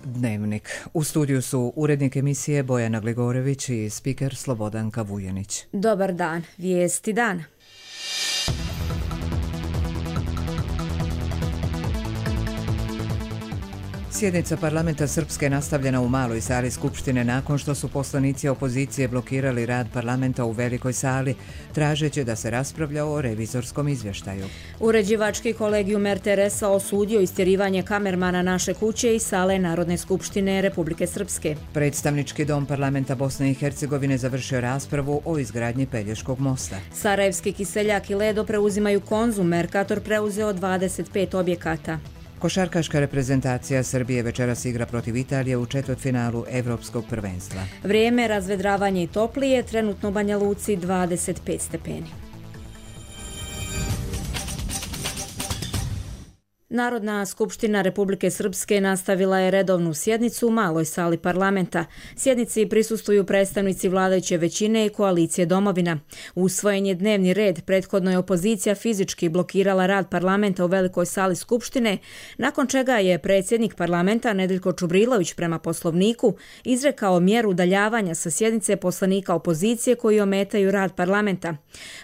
Dnevnik. U studiju su urednik emisije Bojana Gligorević i spiker Slobodanka Vujanić. Dobar dan, vijesti dana. Sjednica parlamenta Srpske nastavljena u maloj sali Skupštine nakon što su poslanici opozicije blokirali rad parlamenta u velikoj sali, tražeći da se raspravlja o revizorskom izvještaju. Uređivački kolegijum RTS-a osudio istjerivanje kamermana Naše kuće i sale Narodne skupštine Republike Srpske. Predstavnički dom parlamenta Bosne i Hercegovine završio raspravu o izgradnji Pelješkog mosta. Sarajevski Kiseljak i Ledo preuzimaju Konzum, Mercator preuzeo 25 objekata. Košarkaška reprezentacija Srbije večeras igra protiv Italije u četvrtfinalu Evropskog prvenstva. Vrijeme, razvedravanje i toplije, trenutno u Banja Luci 25 stepeni. Narodna skupština Republike Srpske nastavila je redovnu sjednicu u maloj sali parlamenta. Sjednici prisustvuju predstavnici vladajuće većine i koalicije Domovina. Usvojen je dnevni red, prethodno je opozicija fizički blokirala rad parlamenta u velikoj sali skupštine, nakon čega je predsjednik parlamenta Nedeljko Čubrilović prema poslovniku izrekao mjeru udaljavanja sa sjednice poslanika opozicije koji ometaju rad parlamenta.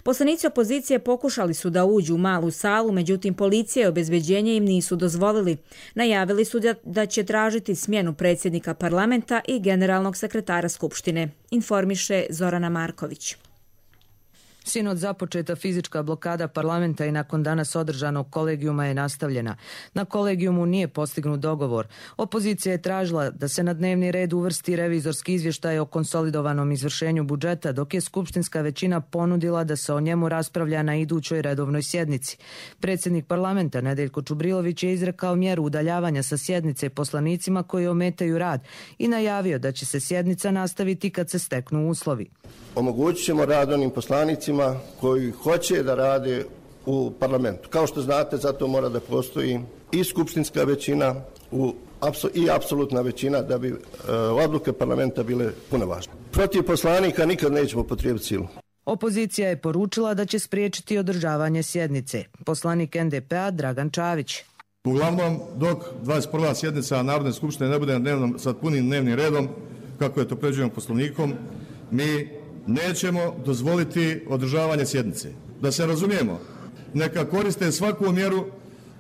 Poslanici opozicije pokušali su da uđu u malu salu, međutim policija i obezbeđenje im nisu dozvolili. Najavili su da će tražiti smjenu predsjednika parlamenta i generalnog sekretara Skupštine, informiše Zorana Marković. Sinoć započeta fizička blokada parlamenta i nakon danas održanog kolegijuma je nastavljena. Na kolegijumu nije postignut dogovor. Opozicija je tražila da se na dnevni red uvrsti revizorski izvještaj o konsolidovanom izvršenju budžeta, dok je skupštinska većina ponudila da se o njemu raspravlja na idućoj redovnoj sjednici. Predsjednik parlamenta Nedeljko Čubrilović je izrekao mjeru udaljavanja sa sjednice poslanicima koji ometaju rad i najavio da će se sjednica nastaviti kad se steknu uslovi. Omogućit ćemo rad onim poslanicima koji hoće da rade u parlamentu. Kao što znate, zato mora da postoji i skupštinska većina i apsolutna većina da bi odluke parlamenta bile punovažne. Protiv poslanika nikad nećemo potrijebiti silu. Opozicija je poručila da će spriječiti održavanje sjednice. Poslanik NDP-a Dragan Čavić. Uglavnom, dok 21. sjednica Narodne skupštine ne bude sa punim dnevnim redom, kako je to predviđeno poslovnikom, mi nećemo dozvoliti održavanje sjednice. Da se razumijemo, neka koriste svaku mjeru,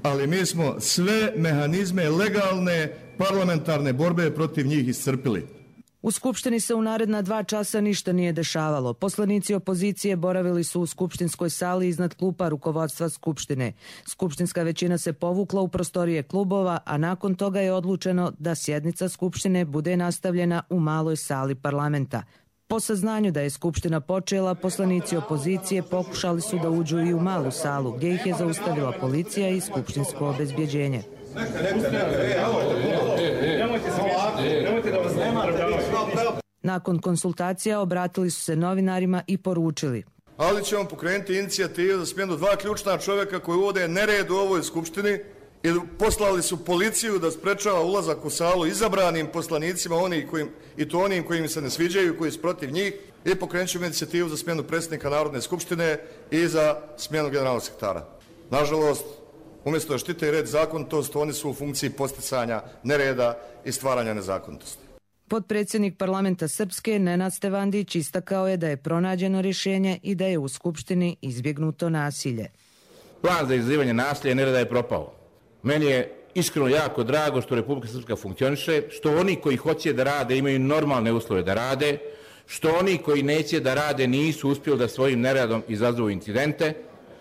ali mi smo sve mehanizme legalne parlamentarne borbe protiv njih iscrpili. U Skupštini se u naredna 2 časa ništa nije dešavalo. Poslanici opozicije boravili su u skupštinskoj sali iznad klupa rukovodstva Skupštine. Skupštinska većina se povukla u prostorije klubova, a nakon toga je odlučeno da sjednica Skupštine bude nastavljena u maloj sali parlamenta. Po saznanju da je Skupština počela, poslanici opozicije pokušali su da uđu i u malu salu, gdje ih je zaustavila policija i skupštinsko obezbjeđenje. Nakon konsultacija obratili su se novinarima i poručili: ali ćemo pokrenuti inicijativu za smjenu 2 ključna čovjeka koji uvode nered u ovoj skupštini i poslali su policiju da sprečava ulazak u salu izabranim poslanicima, onim kojim se ne sviđaju, koji su protiv njih, i pokrenut ćemo inicijativu za smjenu predsjednika Narodne skupštine i za smjenu generalnog sekretara. Nažalost, umjesto da štite red i zakonitost, oni su u funkciji posticanja nereda i stvaranja nezakonitosti. Potpredsjednik parlamenta Srpske Nenad Stevandić istakao je da je pronađeno rješenje i da je u Skupštini izbjegnuto nasilje. Plan za izazivanje nasilja i nereda je propao. Meni je iskreno jako drago što Republika Srpska funkcioniše, što oni koji hoće da rade imaju normalne uslove da rade, što oni koji neće da rade nisu uspjeli da svojim neradom izazovu incidente.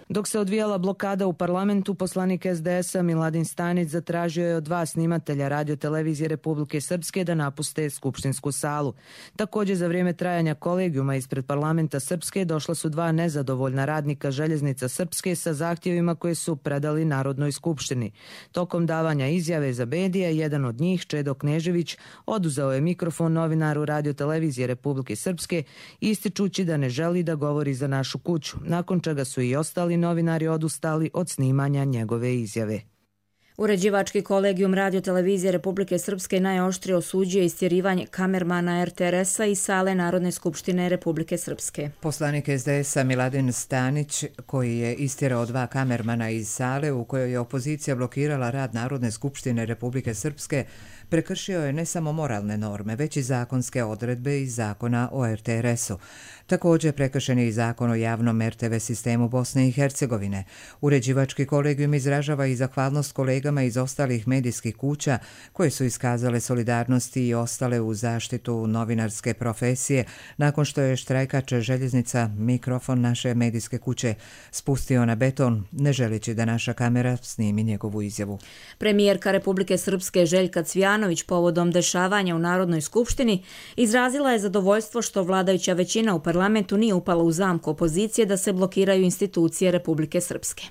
Dok se odvijala blokada u parlamentu, poslanik SDS-a Miladin Stanić zatražio je od 2 snimatelja radiotelevizije Republike Srpske da napuste skupštinsku salu. Također, za vrijeme trajanja kolegijuma ispred parlamenta Srpske došla su 2 nezadovoljna radnika Željeznica Srpske sa zahtjevima koje su predali Narodnoj skupštini. Tokom davanja izjave za medije, jedan od njih, Čedo Knežević, oduzeo je mikrofon novinaru radiotelevizije Republike Srpske, ističući da ne želi da govori za našu kuću, nakon čega su i ostali novinari odustali od snimanja njegove izjave. Uređivački kolegijum radiotelevizije Republike Srpske najoštrije osuđuje istjerivanje kamermana RTS-a iz sale Narodne skupštine Republike Srpske. Poslanik SDS-a Miladin Stanić, koji je istjerao 2 kamermana iz sale u kojoj je opozicija blokirala rad Narodne skupštine Republike Srpske, prekršio je ne samo moralne norme, već i zakonske odredbe iz zakona o RTS-u. Također prekršen je i zakon o javnom RTV sistemu Bosne i Hercegovine. Uređivački kolegijum izražava i zahvalnost kolegama iz ostalih medijskih kuća koje su iskazale solidarnosti i ostale u zaštitu novinarske profesije nakon što je štrajkač željeznica mikrofon naše medijske kuće spustio na beton, ne želeći da naša kamera snimi njegovu izjavu. Premijerka Republike Srpske Željka Cvijanović povodom dešavanja u Narodnoj skupštini izrazila je zadovoljstvo što vladajuća većina u parlamentu nije upala u zamku opozicije da se blokiraju institucije Republike Srpske.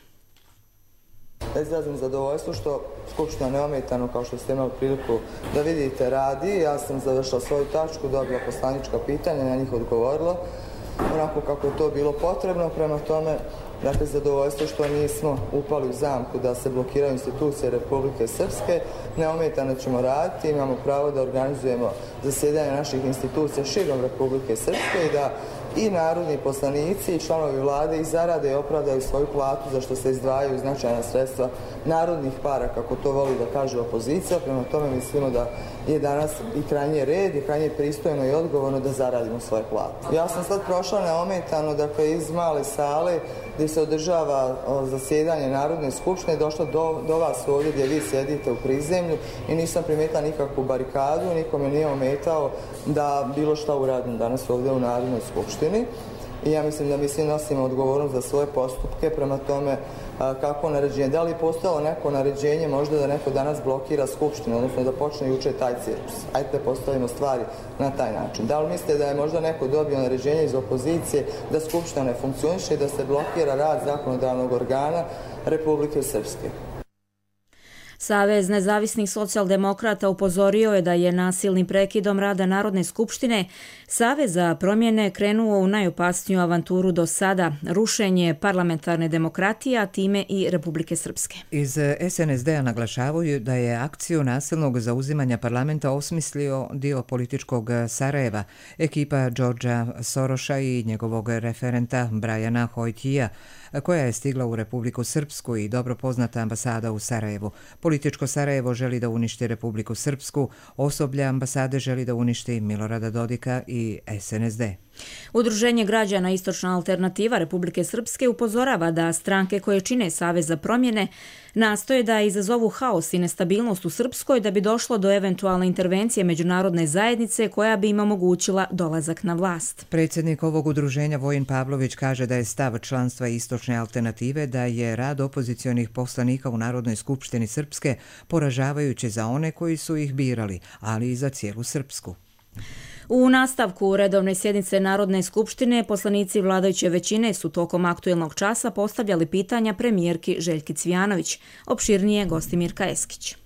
Izrazim zadovoljstvo što Skupština neometano, kao što ste imali priliku da vidite, radi. Ja sam završila svoju tačku, dobila poslanička pitanja, na njih odgovorila onako kako je to bilo potrebno. Prema tome, dakle, zadovoljstvo što nismo upali u zamku da se blokiraju institucije Republike Srpske. Neometano ćemo raditi, imamo pravo da organizujemo zasjedanje naših institucija širom Republike Srpske i da i narodni poslanici i članovi vlade i zarade i opravdaju svoju platu za što se izdvajaju značajna sredstva narodnih para, kako to voli da kaže opozicija. Prema tome mislimo da je danas i krajnje red i krajnje pristojno i odgovorno da zaradimo svoje plate. Ja sam sad prošla neometano, dakle, iz male sale gdje se održava zasjedanje Narodne skupštine, došla do vas ovdje gdje vi sjedite u prizemlju i nisam primijetila nikakvu barikadu, nikome nije ometao da bilo šta uradim danas ovdje u Narodnoj skupštini. I ja mislim da mi svi nosimo odgovornost za svoje postupke, prema tome kako naređenje. Da li je postojalo neko naređenje možda da neko danas blokira skupštinu, odnosno da počne juče taj cirkus? Ajde da postavimo stvari na taj način. Da li mislite da je možda neko dobio naređenje iz opozicije da skupština ne funkcioniše i da se blokira rad zakonodavnog organa Republike Srpske? Savez nezavisnih socijaldemokrata upozorio je da je nasilnim prekidom rada Narodne skupštine Savez za promjene krenuo u najopasniju avanturu do sada, rušenje parlamentarne demokratije, a time i Republike Srpske. Iz SNSD-a naglašavaju da je akciju nasilnog zauzimanja parlamenta osmislio dio političkog Sarajeva, ekipa Đorđa Soroša i njegovog referenta Brajana Hojtija, koja je stigla u Republiku Srpsku i dobro poznata ambasada u Sarajevu. Političko Sarajevo želi da uništi Republiku Srpsku, osoblje ambasade želi da uništi Milorada Dodika i SNSD. Udruženje građana Istočna alternativa Republike Srpske upozorava da stranke koje čine Savez za promjene nastoje da izazovu haos i nestabilnost u Srpskoj da bi došlo do eventualne intervencije međunarodne zajednice koja bi im omogućila dolazak na vlast. Predsjednik ovog udruženja Vojin Pavlović kaže da je stav članstva Istočne alternative da je rad opozicionih poslanika u Narodnoj skupštini Srpske poražavajući za one koji su ih birali, ali i za cijelu Srpsku. U nastavku redovne sjednice Narodne skupštine poslanici vladajuće većine su tokom aktuelnog časa postavljali pitanja premijerki Željki Cvijanović. Opširnije Gostimirka Eskić.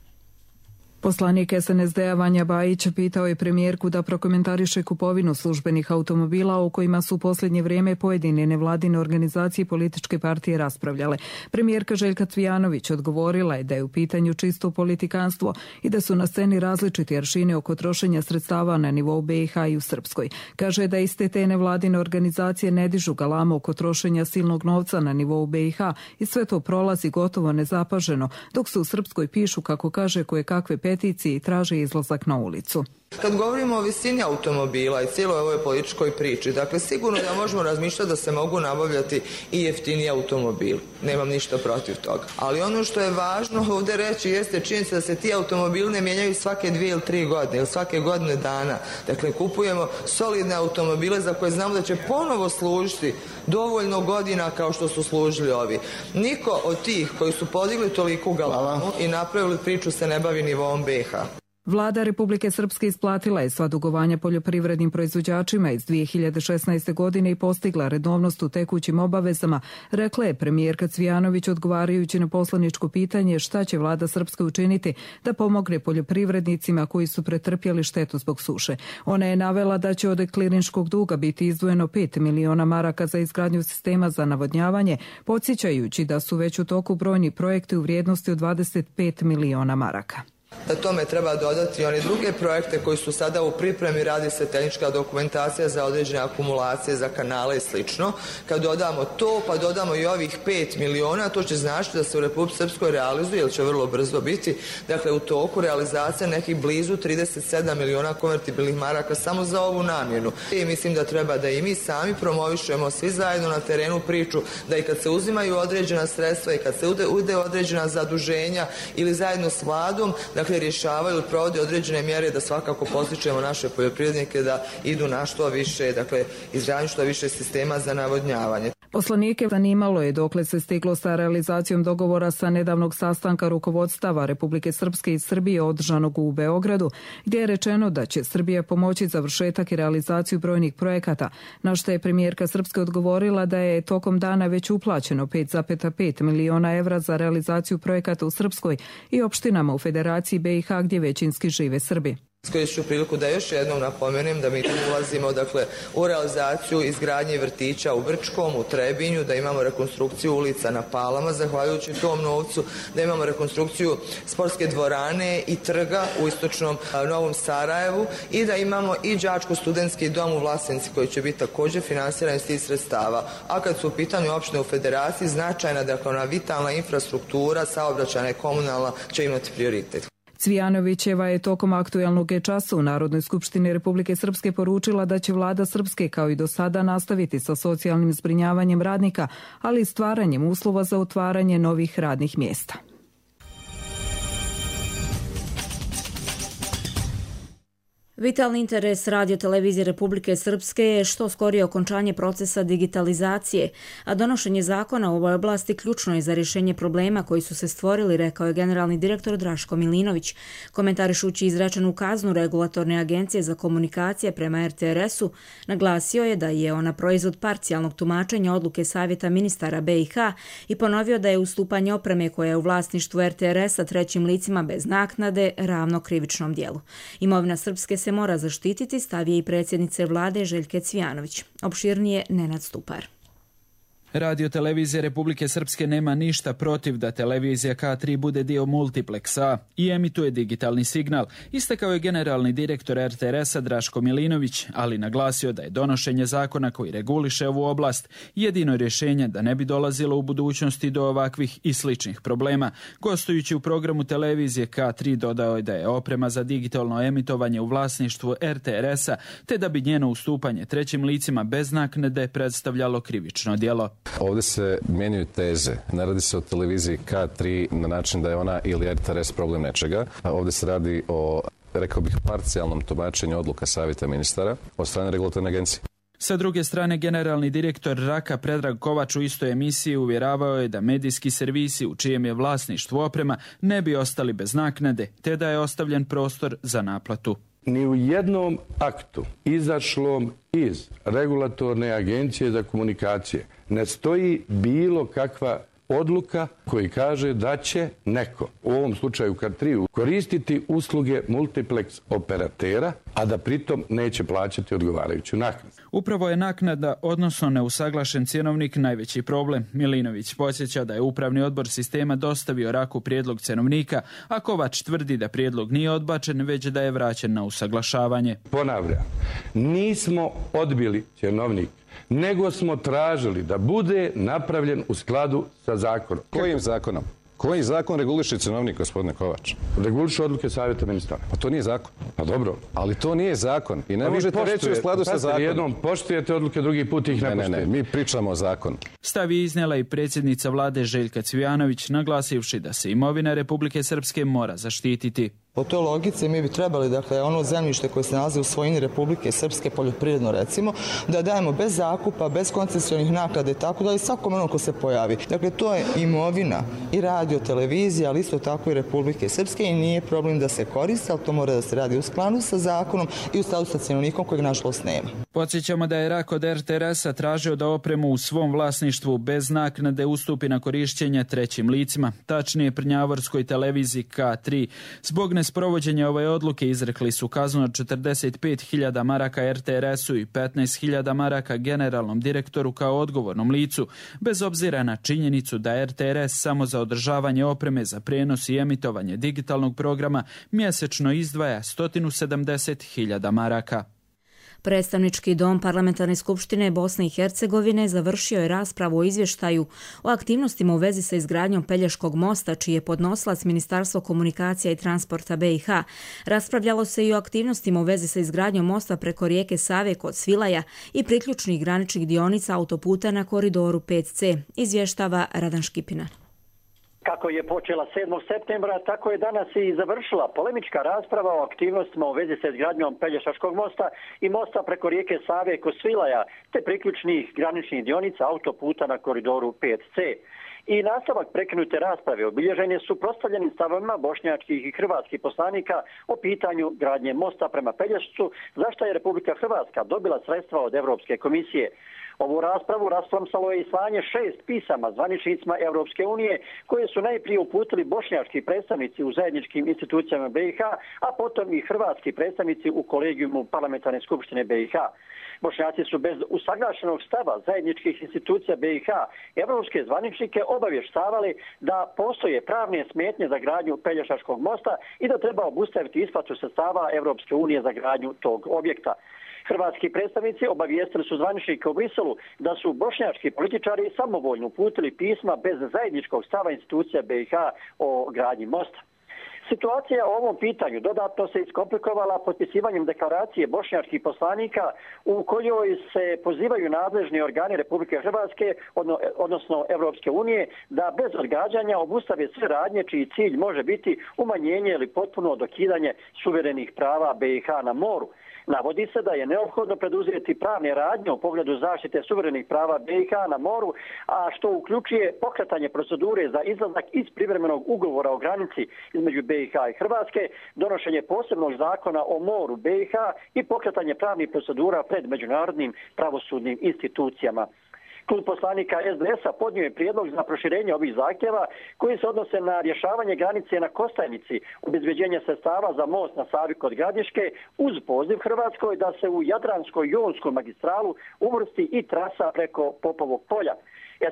Poslanik SNSD-a Vanja Bajić pitao je premijerku da prokomentariše kupovinu službenih automobila o kojima su u posljednje vrijeme pojedine nevladine organizacije i političke partije raspravljale. Premijerka Željka Cvijanović odgovorila je da je u pitanju čisto politikanstvo i da su na sceni različiti aršini oko trošenja sredstava na nivou BiH i u Srpskoj. Kaže da iste te nevladine organizacije ne dižu galamu oko trošenja silnog novca na nivou BiH i sve to prolazi gotovo nezapaženo, dok se u Srpskoj pišu, kako kaže, koje kakve peticiji i traže izlazak na ulicu. Kad govorimo o visini automobila i cijeloj ovoj političkoj priči, dakle sigurno da možemo razmišljati da se mogu nabavljati i jeftiniji automobili. Nemam ništa protiv toga. Ali ono što je važno ovdje reći jeste činjenica da se ti automobili ne mijenjaju svake 2 ili 3 godine ili svake godine dana. Dakle, kupujemo solidne automobile za koje znamo da će ponovo služiti dovoljno godina kao što su služili ovi. Niko od tih koji su podigli toliku galamu i napravili priču se ne bavi nivoom BiH. Vlada Republike Srpske isplatila je sva dugovanja poljoprivrednim proizvođačima iz 2016. godine i postigla redovnost u tekućim obavezama, rekla je premijerka Cvijanović odgovarajući na poslaničko pitanje šta će vlada Srpske učiniti da pomogne poljoprivrednicima koji su pretrpjeli štetu zbog suše. Ona je navela da će od klirinškog duga biti izdvojeno 5 miliona maraka za izgradnju sistema za navodnjavanje, podsjećajući da su već u toku brojni projekti u vrijednosti od 25 miliona maraka. Da tome treba dodati one druge projekte koji su sada u pripremi, radi se tehnička dokumentacija za određene akumulacije, za kanale i slično. Kad dodamo to, pa dodamo i ovih 5 miliona, to će značiti da se u Republici Srpskoj realizuje, ili će vrlo brzo biti, dakle u toku realizacija nekih blizu 37 miliona konvertibilnih maraka samo za ovu namjenu. I mislim da treba da i mi sami promovišemo svi zajedno na terenu priču, da i kad se uzimaju određena sredstva i kad se ude određena zaduženja ili zajedno s vladom, dakle rješavaju, provode određene mjere, da svakako postičemo naše poljoprivrednike da idu na što više, dakle izgradnju što više sistema za navodnjavanje. Poslanike zanimalo je dokle se stiglo sa realizacijom dogovora sa nedavnog sastanka rukovodstava Republike Srpske i Srbije održanog u Beogradu, gdje je rečeno da će Srbija pomoći završetak i realizaciju brojnih projekata, na što je premijerka Srpske odgovorila da je tokom dana već uplaćeno 5,5 miliona evra za realizaciju projekata u Srpskoj i opštinama u Federaciji BiH gdje većinski žive Srbi. Iskoristit ću priliku da još jednom napomenem da mi tu ulazimo u realizaciju izgradnje vrtića u Brčkom, u Trebinju, da imamo rekonstrukciju ulica na Palama zahvaljujući tom novcu, da imamo rekonstrukciju sportske dvorane i trga u istočnom Novom Sarajevu i da imamo i đačko-studentski dom u Vlasenci koji će biti također finansiran iz tih sredstava. A kad su u pitanju opštine u Federaciji, značajna, dakle ona vitalna infrastruktura, saobraćajna i komunalna će imati prioritet. Cvijanovićeva je tokom aktuelnog časa u Narodnoj skupštini Republike Srpske poručila da će vlada Srpske kao i do sada nastaviti sa socijalnim zbrinjavanjem radnika, ali i stvaranjem uslova za otvaranje novih radnih mjesta. Vitalni interes Radio-televizije Republike Srpske je što skorije okončanje procesa digitalizacije, a donošenje zakona u ovoj oblasti ključno je za rješenje problema koji su se stvorili, rekao je generalni direktor Draško Milinović. Komentarišući izrečenu kaznu Regulatorne agencije za komunikacije prema RTRS-u, naglasio je da je ona proizvod parcijalnog tumačenja odluke Savjeta ministara BiH i ponovio da je ustupanje opreme koja je u vlasništvu RTRS-a trećim licima bez naknade ravno krivičnom dijelu. Imovina Srpske se mora zaštititi, stav je i predsjednice vlade Željke Cvijanović. Opširnije Nenad Stupar. Radio-televizija Republike Srpske nema ništa protiv da televizija K3 bude dio multipleksa i emituje digitalni signal, istakao je generalni direktor RTRS-a Draško Milinović, ali naglasio da je donošenje zakona koji reguliše ovu oblast jedino rješenje da ne bi dolazilo u budućnosti do ovakvih i sličnih problema. Gostujući u programu televizije K3 dodao je da je oprema za digitalno emitovanje u vlasništvu RTRS-a, te da bi njeno ustupanje trećim licima bez naknade predstavljalo krivično djelo. Ovdje se mijenjaju teze. Ne radi se o televiziji K3 na način da je ona ili RTRS problem nečega. Ovdje se radi o, rekao bih, parcijalnom tumačenju odluka Savjeta ministara od strane Regulatorne agencije. Sa druge strane, generalni direktor RAK-a Predrag Kovač u istoj emisiji uvjeravao je da medijski servisi u čijem je vlasništvu oprema ne bi ostali bez naknade, te da je ostavljen prostor za naplatu. Ni u jednom aktu izašlom iz Regulatorne agencije za komunikacije ne stoji bilo kakva odluka koji kaže da će neko, u ovom slučaju K3, koristiti usluge multiplex operatera, a da pritom neće plaćati odgovarajuću naknadu. Upravo je naknada, odnosno neusaglašen cjenovnik, najveći problem. Milinović podsjeća da je upravni odbor sistema dostavio RAK-u prijedlog cjenovnika, a Kovač tvrdi da prijedlog nije odbačen, već da je vraćen na usaglašavanje. Ponavljam, nismo odbili cjenovnik, nego smo tražili da bude napravljen u skladu sa zakonom. Kojim zakonom? Koji zakon reguliše cjenovnik, gospodine Kovač? Reguliše odluke Savjeta ministara. Pa to nije zakon. Pa dobro. Ali to nije zakon i ne možete reći u skladu sa zakonom. Jednom poštujete odluke, drugi put ih ne poštujete. Ne, mi pričamo o zakonu. Stav je iznijela i predsjednica vlade Željka Cvijanović, naglasivši da se imovina Republike Srpske mora zaštititi. Po toj logici mi bi trebali, dakle, ono zemljište koje se nalazi u svojini Republike Srpske, poljoprivredno recimo, da dajemo bez zakupa, bez koncesionih naknada i tako da i svakom onom ko se pojavi. Dakle, to je imovina i radio, televizija, ali isto tako i Republike Srpske i nije problem da se koriste, ali to mora da se radi u skladu sa zakonom i u skladu sa cjenovnikom kojeg nažalost nema. Podsjećamo da je RAK od RTRS-a tražio da opremu u svom vlasništvu bez naknade ustupi na korišćenje trećim licima, tačnije prnjavorskoj televiziji K3, zbog nesprovođenja ove odluke izrekli su kaznu od 45.000 maraka RTRS-u i 15.000 maraka generalnom direktoru kao odgovornom licu, bez obzira na činjenicu da RTRS samo za održavanje opreme za prijenos i emitovanje digitalnog programa mjesečno izdvaja 170.000 maraka. Predstavnički dom Parlamentarne skupštine Bosne i Hercegovine završio je raspravu o izvještaju o aktivnostima u vezi sa izgradnjom Pelješkog mosta, čiji je podnosilac Ministarstvo komunikacija i transporta BiH. Raspravljalo se i o aktivnostima u vezi sa izgradnjom mosta preko rijeke Save kod Svilaja i priključnih graničnih dionica autoputa na koridoru 5C, izvještava Radan Škipina. Kako je počela 7. septembra, tako je danas i završila polemička rasprava o aktivnostima u vezi sa izgradnjom Pelješačkog mosta i mosta preko rijeke Save kod Svilaja, te priključnih graničnih dionica autoputa na koridoru 5C. I nastavak prekinute rasprave obilježen je suprotstavljenim stavovima bošnjačkih i hrvatskih poslanika o pitanju gradnje mosta prema Pelješcu, za što je Republika Hrvatska dobila sredstva od Europske komisije. Ovu raspravu rasplamsalo je i slanje 6 pisama zvaničnicima Europske unije koje su najprije uputili bošnjački predstavnici u zajedničkim institucijama BiH, a potom i hrvatski predstavnici u kolegijumu Parlamentarne skupštine BiH. Bošnjaci su bez usaglašenog stava zajedničkih institucija BiH evropske zvaničnike obavještavali da postoje pravne smetnje za gradnju Pelješačkog mosta i da treba obustaviti isplatu sredstava Europske unije za gradnju tog objekta. Hrvatski predstavnici obavijestili su zvaničnike u Briselu da su bošnjački političari samovoljno uputili pisma bez zajedničkog stava institucija BiH o gradnji mosta. Situacija o ovom pitanju dodatno se iskomplikovala potpisivanjem deklaracije bošnjačkih poslanika u kojoj se pozivaju nadležni organi Republike Hrvatske, odnosno Europske unije, da bez odgađanja obustave sve radnje čiji cilj može biti umanjenje ili potpuno dokidanje suverenih prava BiH na moru. Navodi se da je neophodno preduzeti pravne radnje u pogledu zaštite suverenih prava BiH na moru, a što uključuje pokretanje procedure za izlazak iz privremenog ugovora o granici između BiH i Hrvatske, donošenje posebnog zakona o moru BiH i pokretanje pravnih procedura pred međunarodnim pravosudnim institucijama. Klub poslanika SDS-a podnio je prijedlog za proširenje ovih zahtjeva koji se odnose na rješavanje granice na Kostajnici, obezbeđenje sredstava za most na Savi kod Gradiške uz poziv Hrvatskoj da se u Jadransko-jonsku magistralu uvrsti i trasa preko Popovog polja.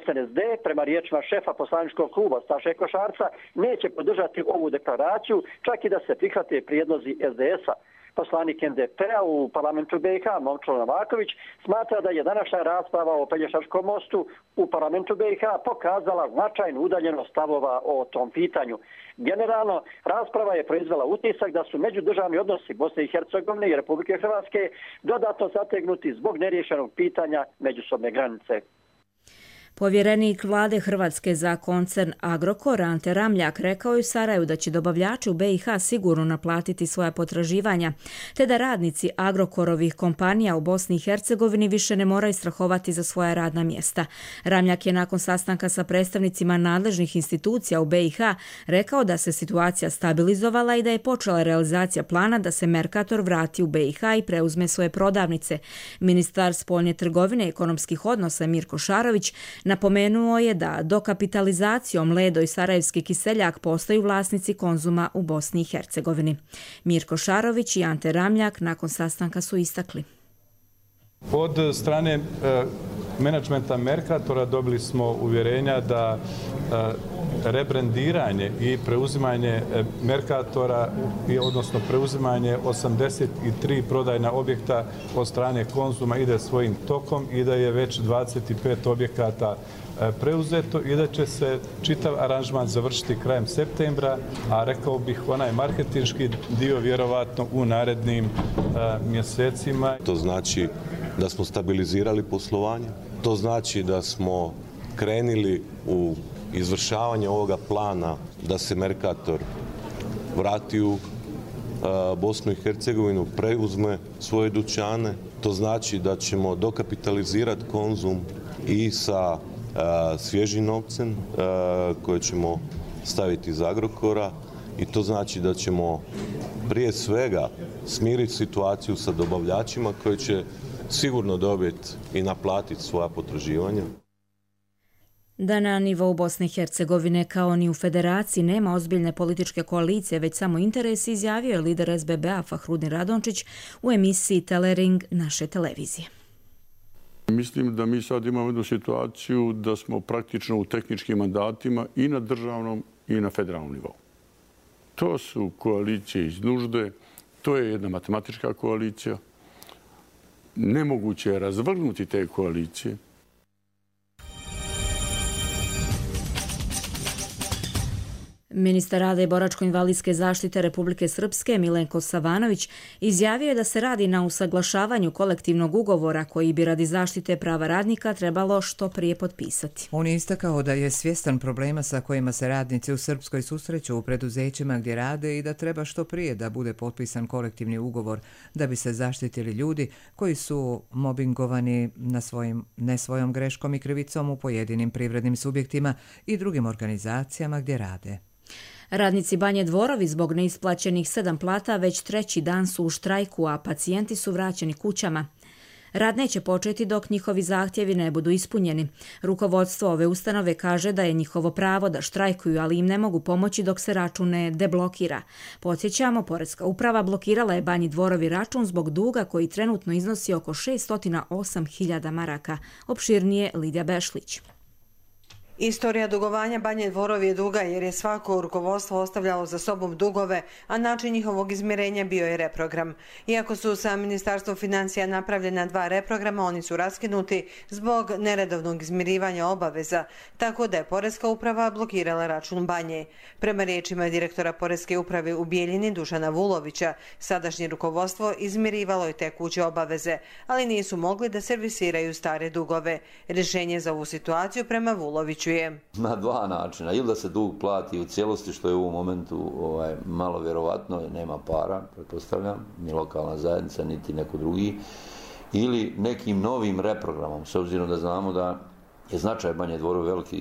SNSD, prema riječima šefa poslaničkog kluba Staše Košarca, neće podržati ovu deklaraciju, čak i da se prihvate prijedlozi SDS-a. Poslanik NDP-a u parlamentu BiH, Momčilo Novaković, smatra da je današnja rasprava o Pelješačkom mostu u parlamentu BiH pokazala značajnu udaljenost stavova o tom pitanju. Generalno, rasprava je proizvela utisak da su međudržavni odnosi Bosne i Hercegovine i Republike Hrvatske dodatno zategnuti zbog neriješenog pitanja međusobne granice. Povjerenik vlade Hrvatske za koncern Agrokor Ante Ramljak rekao je u Sarajevu da će dobavljači u BiH sigurno naplatiti svoja potraživanja, te da radnici Agrokorovih kompanija u Bosni i Hercegovini više ne moraju strahovati za svoja radna mjesta. Ramljak je nakon sastanka sa predstavnicima nadležnih institucija u BiH rekao da se situacija stabilizovala i da je počela realizacija plana da se Mercator vrati u BiH i preuzme svoje prodavnice. Ministar spoljne trgovine i ekonomskih odnosa Mirko Šarović napomenuo je da dokapitalizacijom Ledo i Sarajevski kiseljak postaju vlasnici Konzuma u Bosni i Hercegovini. Mirko Šarović i Ante Ramljak nakon sastanka su istakli. Od strane menadžmenta Mercatora dobili smo uvjerenja da rebrendiranje i preuzimanje Mercatora, odnosno preuzimanje 83 prodajna objekta od strane Konzuma ide svojim tokom i da je već 25 objekata preuzeto i da će se čitav aranžman završiti krajem septembra, a rekao bih onaj marketinški dio vjerovatno u narednim mjesecima. To znači da smo stabilizirali poslovanje, to znači da smo krenuli u izvršavanje ovoga plana da se Mercator vrati u Bosnu i Hercegovinu, preuzme svoje dućane. To znači da ćemo dokapitalizirati Konzum i sa svježim novcem koje ćemo staviti iz Agrokora i to znači da ćemo prije svega smiriti situaciju sa dobavljačima koji će sigurno dobiti i naplatiti svoja potraživanja. Da na nivou Bosne i Hercegovine kao ni u federaciji nema ozbiljne političke koalicije, već samo interes, izjavio je lider SBB-a Fahrudin Radončić u emisiji Telering naše televizije. Mislim da mi sad imamo jednu situaciju da smo praktično u tehničkim mandatima i na državnom i na federalnom nivou. To su koalicije iz nužde, to je jedna matematička koalicija. Nemoguće je razvrgnuti te koalicije. Ministar rada i boračko-invalidske zaštite Republike Srpske Milenko Savanović izjavio je da se radi na usaglašavanju kolektivnog ugovora koji bi radi zaštite prava radnika trebalo što prije potpisati. On je istakao da je svjestan problema sa kojima se radnici u Srpskoj susreću u preduzećima gdje rade i da treba što prije da bude potpisan kolektivni ugovor da bi se zaštitili ljudi koji su mobingovani ne svojom greškom i krivicom u pojedinim privrednim subjektima i drugim organizacijama gdje rade. Radnici Banje Dvorovi zbog neisplaćenih 7 plata već 3. dan su u štrajku, a pacijenti su vraćeni kućama. Rad neće početi dok njihovi zahtjevi ne budu ispunjeni. Rukovodstvo ove ustanove kaže da je njihovo pravo da štrajkuju, ali im ne mogu pomoći dok se račun ne deblokira. Podsjećamo, Poreska uprava blokirala je Banji Dvorovi račun zbog duga koji trenutno iznosi oko 608.000 maraka. Opširnije Lidija Bešlić. Istorija dugovanja Banje Dvorovi je duga jer je svako rukovodstvo ostavljalo za sobom dugove, a način njihovog izmirenja bio je reprogram. Iako su sa Ministarstvom financija napravljena 2 reprograma, oni su raskinuti zbog neredovnog izmirivanja obaveza, tako da je Poreska uprava blokirala račun Banje. Prema riječima direktora Poreske uprave u Bijeljini Dušana Vulovića, sadašnje rukovodstvo izmirivalo je tekuće obaveze, ali nisu mogli da servisiraju stare dugove. Rješenje za ovu situaciju prema Vuloviću na 2 načina. Ili da se dug plati u cijelosti, što je u ovom momentu malo vjerovatno, nema para, pretpostavljam, ni lokalna zajednica, niti neko drugi, ili nekim novim reprogramom, s obzirom da znamo da je značaj Banje Dvorova veliki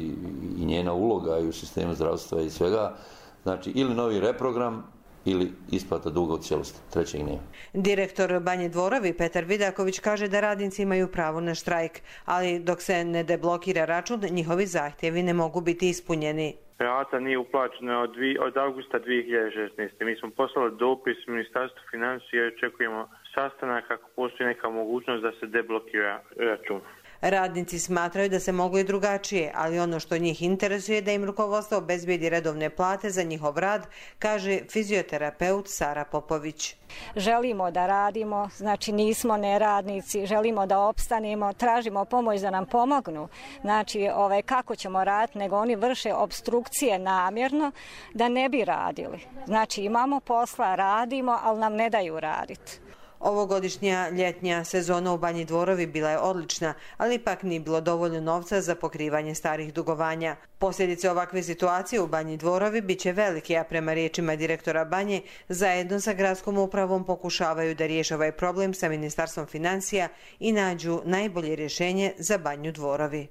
i njena uloga i u sistemu zdravstva i svega. Znači, ili novi reprogram, ili isplata duga u cijelosti. Trećeg nema. Direktor Banje Dvorovi Petar Vidaković kaže da radnici imaju pravo na štrajk, ali dok se ne deblokira račun, njihovi zahtjevi ne mogu biti ispunjeni. Rata nije uplaćena od augusta 2016. Mi smo poslali dopis Ministarstvu financija i očekujemo sastanak ako postoji neka mogućnost da se deblokira račun. Radnici smatraju da se moglo i drugačije, ali ono što njih interesuje je da im rukovodstvo obezbedi redovne plate za njihov rad, kaže fizioterapeut Sara Popović. Želimo da radimo, znači nismo neradnici, želimo da opstanemo, tražimo pomoć da nam pomognu. Znači kako ćemo raditi, nego oni vrše opstrukcije namjerno da ne bi radili. Znači imamo posla, radimo, ali nam ne daju raditi. Ovogodišnja ljetnja sezona u Banji Dvorovi bila je odlična, ali ipak nije bilo dovoljno novca za pokrivanje starih dugovanja. Posljedice ovakve situacije u Banji Dvorovi bit će velike, a prema riječima direktora Banje, zajedno sa gradskom upravom pokušavaju da riješe ovaj problem sa Ministarstvom financija i nađu najbolje rješenje za Banju Dvorovi.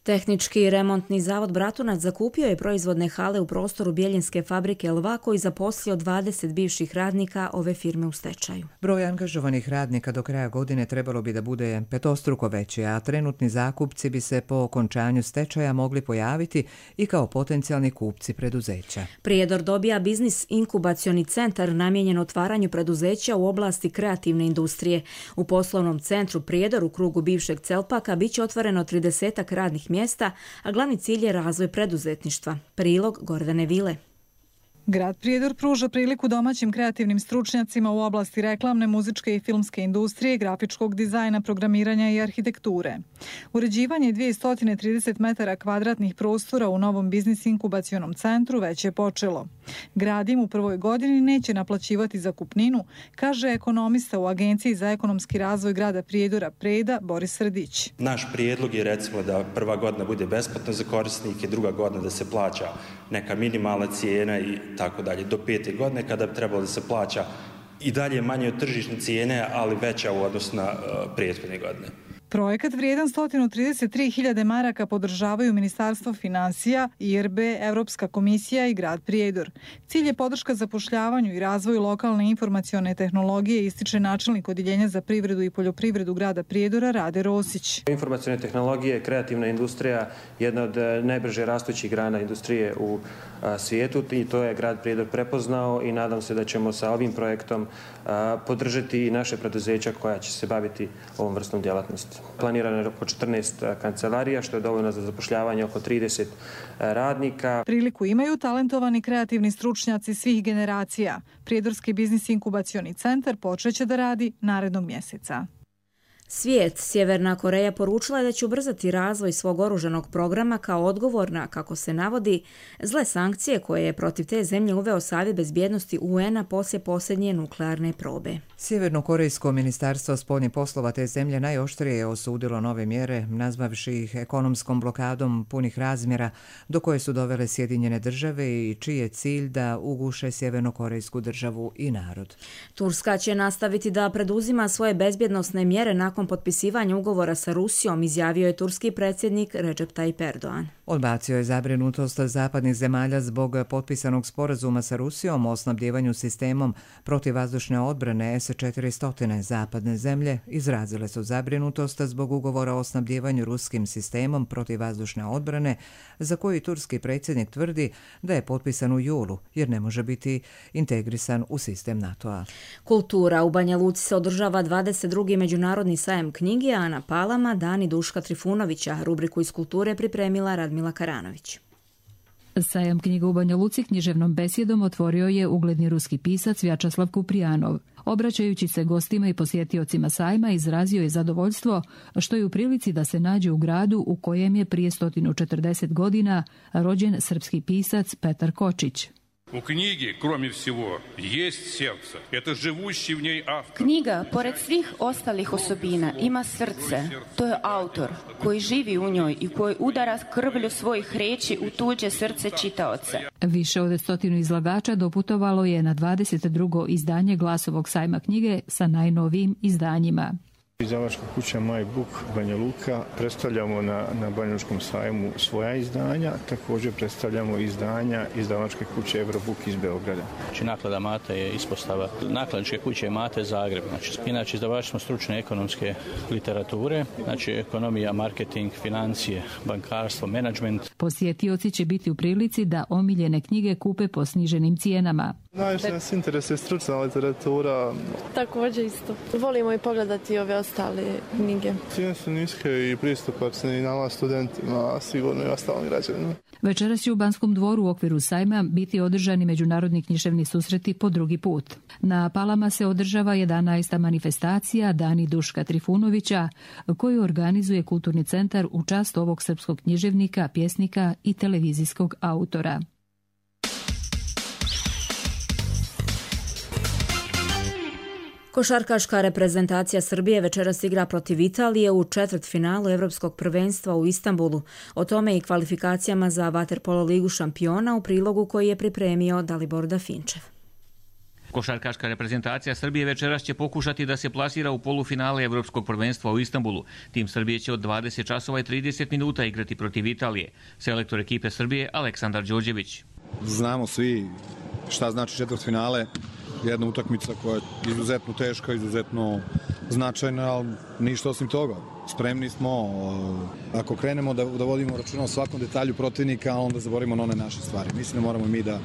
Tehnički remontni zavod Bratunac zakupio je proizvodne hale u prostoru Bijeljinske fabrike Elva koji zaposlio 20 bivših radnika ove firme u stečaju. Broj angažovanih radnika do kraja godine trebalo bi da bude petostruko veći, a trenutni zakupci bi se po okončanju stečaja mogli pojaviti i kao potencijalni kupci preduzeća. Prijedor dobija biznis inkubacioni centar namijenjen otvaranju preduzeća u oblasti kreativne industrije. U poslovnom centru Prijedor u krugu bivšeg Celpaka bit će otvoreno 30 radnih mjesta, a glavni cilj je razvoj preduzetništva. Prilog Gordane Vile. Grad Prijedor pruža priliku domaćim kreativnim stručnjacima u oblasti reklamne, muzičke i filmske industrije, grafičkog dizajna, programiranja i arhitekture. Uređivanje 230 metara kvadratnih prostora u novom biznis inkubacionom centru već je počelo. Grad im u prvoj godini neće naplaćivati zakupninu, kaže ekonomista u Agenciji za ekonomski razvoj grada Prijedora Preda Boris Srdić. Naš prijedlog je recimo da prva godina bude besplatno za korisnike, druga godina da se plaća neka minimalna cijena i tako dalje, do 5. godine kada bi trebalo da se plaća i dalje manje od tržišne cijene, ali veća u odnosu na prethodne godine. Projekat vrijedan 133.000 maraka podržavaju Ministarstvo financija, IRB, Evropska komisija i grad Prijedor. Cilj je podrška zapošljavanju i razvoju lokalne informacione tehnologije, ističe načelnik Odjeljenja za privredu i poljoprivredu grada Prijedora Rade Rosić. Informacione tehnologije, kreativna industrija, jedna od najbrže rastućih grana industrije u svijetu i to je grad Prijedor prepoznao i nadam se da ćemo sa ovim projektom podržati i naše preduzeća koja će se baviti ovom vrstom djelatnosti. Planirano je oko 14 kancelarija, što je dovoljno za zapošljavanje oko 30 radnika. Priliku imaju talentovani kreativni stručnjaci svih generacija. Prijedorski biznis inkubacioni centar počeće da radi narednog mjeseca. Svijet, Sjeverna Koreja poručila je da će ubrzati razvoj svog oružanog programa kao odgovor na, kako se navodi, zle sankcije koje je protiv te zemlje uveo Savjet bezbjednosti UN-a poslije posljednje nuklearne probe. Sjevernokorejsko ministarstvo spoljnih poslova te zemlje najoštrije je osudilo nove mjere, nazvavši ih ekonomskom blokadom punih razmjera do koje su dovele Sjedinjene države i čiji je cilj da uguše sjevernokorejsku državu i narod. Turska će nastaviti da preduzima svoje bezbjednosne mjere nakon potpisivanja ugovora sa Rusijom, izjavio je turski predsjednik Recep Tayyip Erdogan. Odbacio je zabrinutost zapadnih zemalja zbog potpisanog sporazuma sa Rusijom o snabdjevanju sistemom protivvazdušne odbrane S-400. Zapadne zemlje izrazile su zabrinutost zbog ugovora o snabdjevanju ruskim sistemom protivvazdušne odbrane, za koji turski predsjednik tvrdi da je potpisan u julu, jer ne može biti integrisan u sistem NATO-a. Kultura u Banja Luci se održava 22. međunarodni sajam knjige, a na Palama Dani Duška Trifunovića. Rubriku iz kulture pripremila Radmila Karanović. Sajam knjiga u Banja Luci književnom besjedom otvorio je ugledni ruski pisac Vjačeslav Kuprijanov. Obraćajući se gostima i posjetiocima sajma, izrazio je zadovoljstvo što je u prilici da se nađe u gradu u kojem je prije 140 godina rođen srpski pisac Petar Kočić. U knjigi, kromě всего, jest сердце. Это живущий в ней автор. Knjiga, pored svih ostalih osobina, ima srce. To je autor koji živi u njoj i koji udara krvlju svojih riječi u tuđe srce čitaoca. Više od 100 izlagača doputovalo je na 22. izdanje Glasovog sajma knjige sa najnovijim izdanjima. Izdavačka kuća My Book Banja Luka predstavljamo na Banjalučkom sajmu svoja izdanja, također predstavljamo izdanja izdavačke kuće Eurobook iz Beograda. Znači, naklada Mate je ispostava nakladničke kuće Mate Zagreb. Inače, izdavači smo stručne ekonomske literature, znači ekonomija, marketing, financije, bankarstvo, menadžment. Posjetioci će biti u prilici da omiljene knjige kupe po sniženim cijenama. Najviše nas interesuje stručna literatura. Također isto. Volimo i pogledati ove ostale knjige. Cijene su niske i pristupačne i nama studentima, a sigurno i ostalim građanima. Večeras će u Banskom dvoru u okviru sajma biti održani međunarodni književni susreti po drugi put. Na Palama se održava 11. manifestacija Dani Duška Trifunovića, koju organizuje Kulturni centar u čast ovog srpskog književnika, pjesnika i televizijskog autora. Košarkaška reprezentacija Srbije večeras igra protiv Italije u četvrtfinalu Evropskog prvenstva u Istanbulu. O tome i kvalifikacijama za Vaterpolo ligu šampiona u prilogu koji je pripremio Dalibor Dafinčev. Košarkaška reprezentacija Srbije večeras će pokušati da se plasira u polufinale Evropskog prvenstva u Istanbulu. Tim Srbije će od 20 časova i 30 minuta igrati protiv Italije. Selektor ekipe Srbije Aleksandar Đorđević. Znamo svi šta znači četvrtfinale. Jedna utakmica koja je izuzetno teška, izuzetno značajna, ali ništa osim toga. Spremni smo, ako krenemo da vodimo računa o svakom detalju protivnika, onda zaboravimo na one naše stvari. Mislim da moramo mi da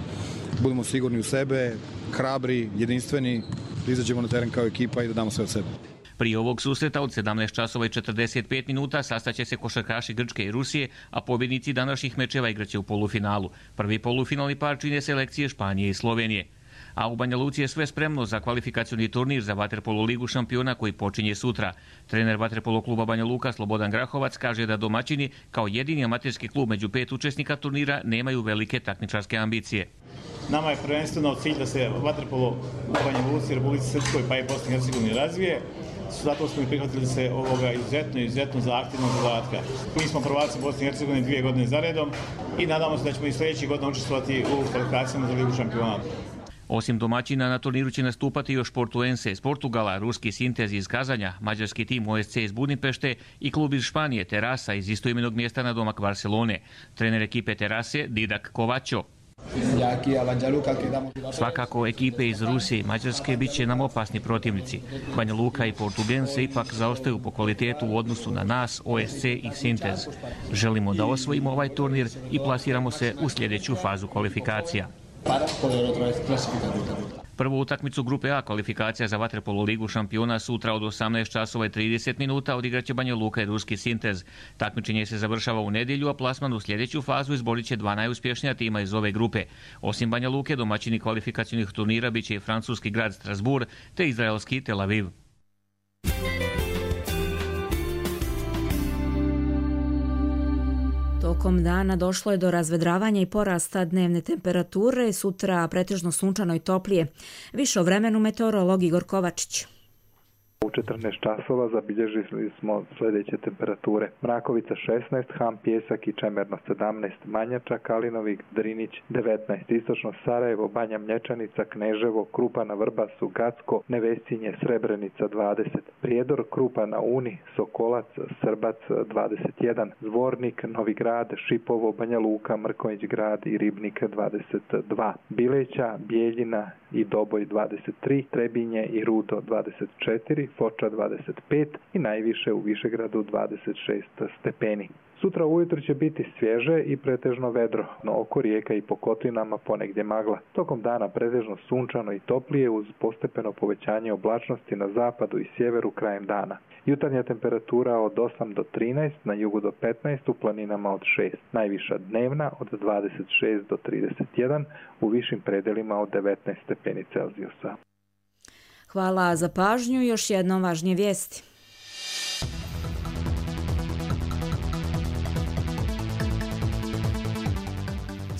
budemo sigurni u sebe, hrabri, jedinstveni, da izađemo na teren kao ekipa i da damo sve od sebe. Prije ovog susreta od 17 časova i 45 minuta sastaće se košarkaši Grčke i Rusije, a pobjednici današnjih mečeva igraće u polufinalu. Prvi polufinalni par čine selekcije Španije i Slovenije. A u Banja Luci je sve spremno za kvalifikacioni turnir za Vaterpolo ligu šampiona koji počinje sutra. Trener Vaterpolo kluba Banja Luka Slobodan Grahovac kaže da domaćini kao jedini amaterski klub među 5 učesnika turnira nemaju velike takmičarske ambicije. Nama je prvenstveno cilj da se Vaterpolo u Banja Luci, Republici Srpskoj pa i Bosni i Hercegovini razvije. Zato smo i prihvatili se ovoga izuzetno zahtjevnog zadatka. Mi smo prvaci Bosne i Hercegovine 2 godine za redom i nadamo se da ćemo i sljedećih godina učestvovati u kvalifikacijama za ligu šampiona. Osim domaćina, na turniru će nastupati još Portuense iz Portugala, ruski Sintez iz Kazanja, mađarski tim OSC iz Budimpešte i klub iz Španije Terasa iz istoimenog mjesta na domak Barcelone. Trener ekipe Terase Didak Kovačo. Svakako ekipe iz Rusije i Mađarske bit će nam opasni protivnici. Banja Luka i Portugense ipak zaostaju po kvalitetu u odnosu na nas, OSC i Sintez. Želimo da osvojimo ovaj turnir i plasiramo se u sljedeću fazu kvalifikacija. Prvu utakmicu grupe A kvalifikacija za vaterpolo ligu šampiona sutra od 18:30 odigraće Banja Luka i ruski Sintez. Takmičenje se završava u nedjelju, a plasman u sljedeću fazu izborit će 2 najuspješnija tima iz ove grupe. Osim Banja Luke, domaćini kvalifikacijnih turnira bit će i francuski grad Strasbourg te izraelski Tel Aviv. Tokom dana došlo je do razvedravanja i porasta dnevne temperature, sutra pretežno sunčano i toplije. Više o vremenu meteorolog Igor Kovačić. U 14 časova zabilježili smo sljedeće temperature. Mrakovica 16, Ham, Pjesak i Čemerno 17, Manjača, Kalinovik, Drinić 19, Istočno Sarajevo, Banja Mlječanica, Kneževo, Krupa na Vrbasu, Gacko, Nevesinje, Srebrenica 20, Prijedor, Krupa na Uni, Sokolac, Srbac 21, Zvornik, Novi Grad, Šipovo, Banja Luka, Mrkonjić Grad i Ribnik 22, Bileća, Bijeljina i Doboj 23, Trebinje i Rudo 24, Foča 25 i najviše u Višegradu 26 stepeni. Sutra ujutro će biti svježe i pretežno vedro, no oko rijeka i po kotlinama ponegdje magla. Tokom dana pretežno sunčano i toplije uz postepeno povećanje oblačnosti na zapadu i sjeveru krajem dana. Jutarnja temperatura od 8 do 13, na jugu do 15, u planinama od 6. Najviša dnevna od 26 do 31, u višim predelima od 19 stepeni Celzijusa. Hvala za pažnju. Još jednom važnije vijesti.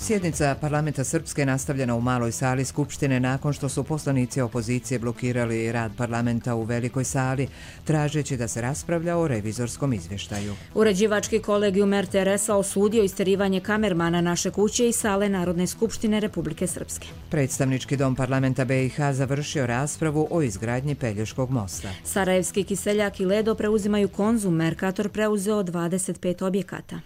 Sjednica parlamenta Srpske nastavljena u maloj sali Skupštine nakon što su poslanici opozicije blokirali rad parlamenta u velikoj sali, tražeći da se raspravlja o revizorskom izvještaju. Uređivački kolegijum RTS-a osudio isterivanje kamermana Naše kuće i sale Narodne skupštine Republike Srpske. Predstavnički dom parlamenta BiH završio raspravu o izgradnji Pelješkog mosta. Sarajevski Kiseljak i Ledo preuzimaju Konzum, Mercator preuzeo 25 objekata.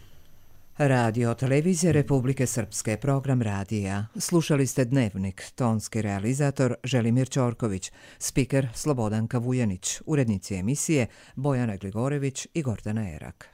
Radio televizije Republike Srpske, program radija. Slušali ste Dnevnik, tonski realizator Želimir Ćorković, spiker Slobodanka Vujanić, urednici emisije Bojana Gligorević i Gordana Erak.